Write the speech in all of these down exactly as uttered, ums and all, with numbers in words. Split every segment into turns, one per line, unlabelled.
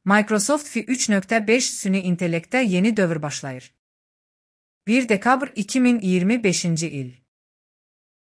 Microsoft Fi üç nöqtə beş süni intellektdə yeni dövr başlayır. bir dekabr iki min iyirmi beşinci il.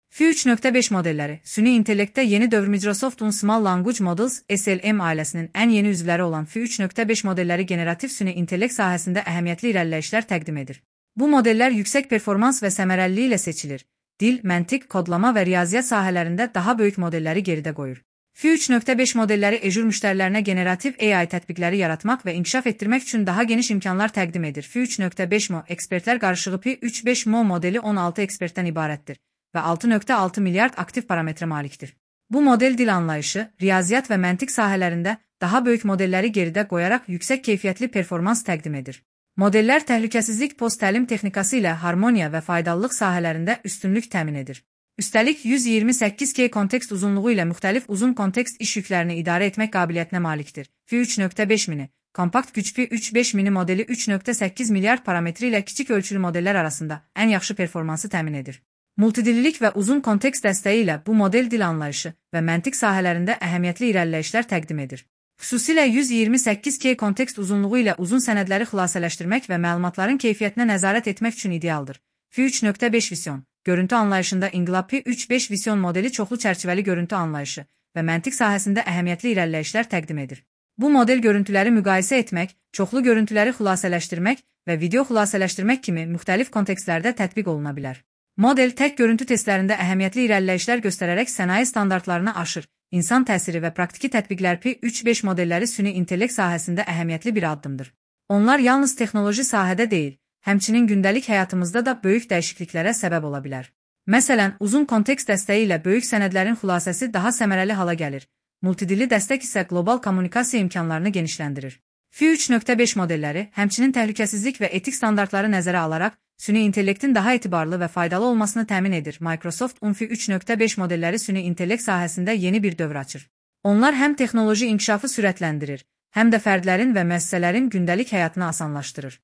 Fi üç nöqtə beş modelləri, süni intellektdə yeni dövr Microsoft'un Small Language Models S L M ailəsinin ən yeni üzvləri olan Fi üç nöqtə beş modelləri generativ süni intellekt sahəsində əhəmiyyətli irəliləyişlər təqdim edir. Bu modellər yüksək performans və səmərəliliyi ilə seçilir. Dil, məntiq, kodlama və riyaziyyat sahələrində daha böyük modelləri geridə qoyur. Fi üç nöqtə beş modelləri Azure müştərilərinə generativ A I tətbiqləri yaratmaq və inkişaf etdirmək üçün daha geniş imkanlar təqdim edir. Fi üç nöqtə beş Mo ekspertlər qarışığı Fi üç nöqtə beş Mo modeli on altı ekspertdən ibarətdir və altı nöqtə altı milyard aktiv parametrə malikdir. Bu model dil anlayışı, riyaziyyat və məntiq sahələrində daha böyük modelləri geridə qoyaraq yüksək keyfiyyətli performans təqdim edir. Modellər təhlükəsizlik post-təlim texnikası ilə harmoniya və faydalılıq sahələrində üstünlük təmin edir. Üstəlik yüz iyirmi səkkiz K kontekst uzunluğu ilə müxtəlif uzun kontekst iş yüklərini idarə etmək qabiliyyətinə malikdir. Fi üç nöqtə beş mini, kompakt güc Fi üç nöqtə beş mini modeli üç nöqtə səkkiz milyard parametri ilə kiçik ölçülü modellər arasında ən yaxşı performansı təmin edir. Multidillilik və uzun kontekst dəstəyi ilə bu model dil anlayışı və məntiq sahələrində əhəmiyyətli irəliləyişlər təqdim edir. Xüsusilə yüz iyirmi səkkiz K kontekst uzunluğu ilə uzun sənədləri xülasələşdirmək və məlumatların keyfiyyətinə nəzarət etmək üçün idealdır. Fi üç nöqtə beş Vision, görüntü anlayışında İnqilab Fi üç nöqtə beş Vision modeli çoxlu çərçivəli görüntü anlayışı və məntiq sahəsində əhəmiyyətli irəliləyişlər təqdim edir. Bu model görüntüləri müqayisə etmək, çoxlu görüntüləri xülasələşdirmək və video xülasələşdirmək kimi müxtəlif kontekstlərdə tətbiq oluna bilər. Model tək görüntü testlərində əhəmiyyətli irəliləyişlər göstərərək sənaye standartlarını aşır. İnsan təsiri və praktiki tətbiqlər Fi üç nöqtə beş modelləri süni intellekt sahəsində əhəmiyyətli bir addımdır. Onlar yalnız texnoloji sahədə deyil, həmçinin gündəlik həyatımızda da böyük dəyişikliklərə səbəb ola bilər. Məsələn, uzun kontekst dəstəyi ilə böyük sənədlərin xülasəsi daha səmərəli hala gəlir. Multidilli dəstək isə qlobal kommunikasiya imkanlarını genişləndirir. Fi üç nöqtə beş modelləri, həmçinin təhlükəsizlik və etik standartları nəzərə alaraq, süni intellektin daha etibarlı və faydalı olmasını təmin edir. Microsoft Fi üç nöqtə beş modelləri süni intellekt sahəsində yeni bir dövr açır. Onlar həm texnoloji inkişafı sürətləndirir, həm də fərdlərin və müəssisələrin gündəlik həyatını asanlaşdırır.